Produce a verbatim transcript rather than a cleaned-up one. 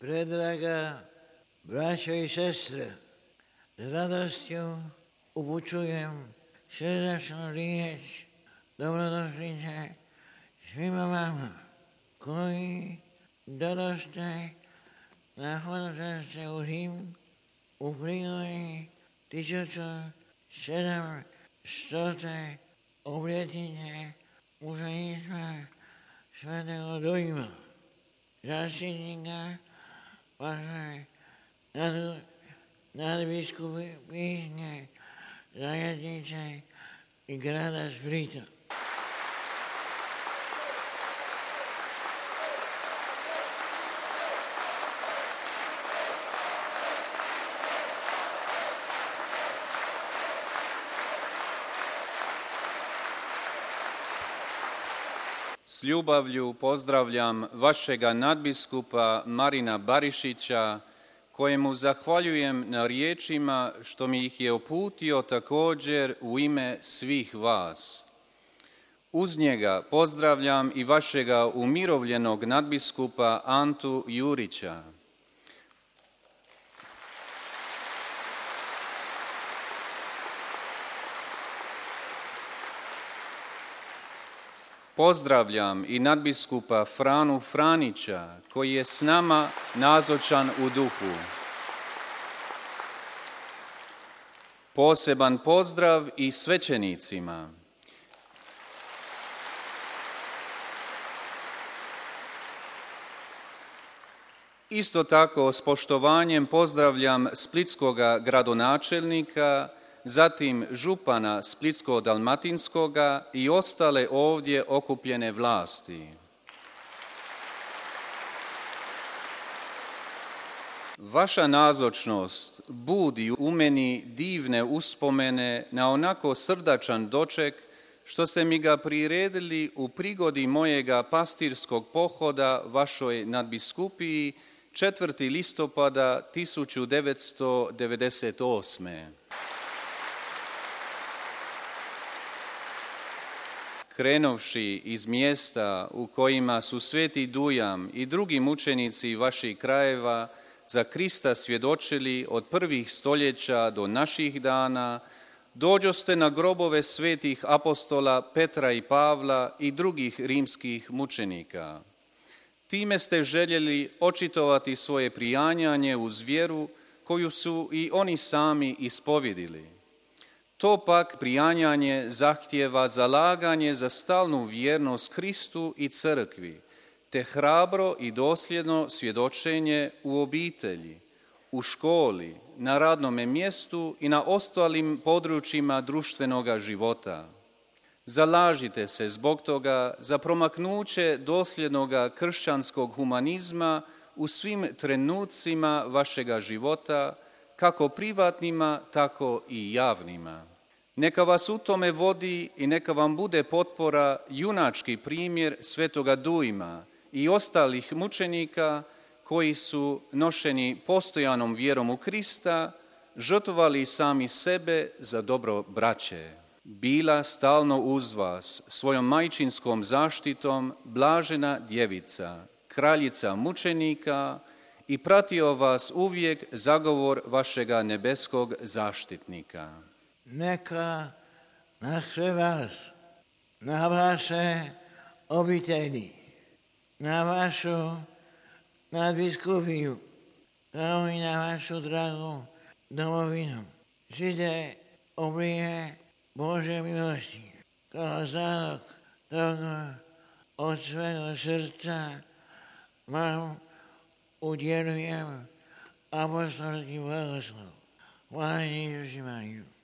Predraga braćo i sestre, s radostju upućujem srdačnu riječ dobrodošlice svima vama koji dođoste na hodočašće u Rim u prigodi tisuću sedamstote obljetnice mučeništva svetog Dujma, zaštitnika vaše nad, nadbiskupijske zajednice i grada Splita. S ljubavlju pozdravljam vašega nadbiskupa Marina Barišića, kojemu zahvaljujem na riječima što mi ih je uputio također u ime svih vas. Uz njega pozdravljam i vašega umirovljenog nadbiskupa Antu Jurića. Pozdravljam i nadbiskupa Franu Franića, koji je s nama nazočan u duhu. Poseban pozdrav i svećenicima. Isto tako s poštovanjem pozdravljam splitskoga gradonačelnika, zatim župana Splitsko-dalmatinskoga i ostale ovdje okupljene vlasti. Vaša nazočnost budi u meni divne uspomene na onako srdačan doček što ste mi ga priredili u prigodi mojega pastirskog pohoda vašoj nadbiskupiji četvrtog listopada tisuću devetsto devedeset osme. Krenovši iz mjesta u kojima su Sveti Dujam i drugi mučenici vaših krajeva za Krista svjedočili od prvih stoljeća do naših dana, dođoste na grobove svetih apostola Petra i Pavla i drugih rimskih mučenika. Time ste željeli očitovati svoje prijanjanje uz vjeru koju su i oni sami ispovjedili. To pak prijanjanje zahtijeva zalaganje za stalnu vjernost Kristu i crkvi, te hrabro i dosljedno svjedočenje u obitelji, u školi, na radnome mjestu i na ostalim područjima društvenoga života. Zalažite se zbog toga za promaknuće dosljednoga kršćanskog humanizma u svim trenucima vašega života, kako privatnima, tako i javnima. Neka vas u tome vodi i neka vam bude potpora junački primjer Svetoga Dujma i ostalih mučenika koji su nošeni postojanom vjerom u Krista, žrtvovali sami sebe za dobro braće. Bila stalno uz vas svojom majčinskom zaštitom blažena djevica, kraljica mučenika, i pratio vas uvijek zagovor vašega nebeskog zaštitnika. Neka na sve vas, na vaše obitelji, na vašu nadbiskupiju, kao i na vašu dragu domovinu, žide oblije Bože milosti, kao zalog toga od svega srca vam udjelujem apostolski blagoslov. Hvala Isus i Mariju.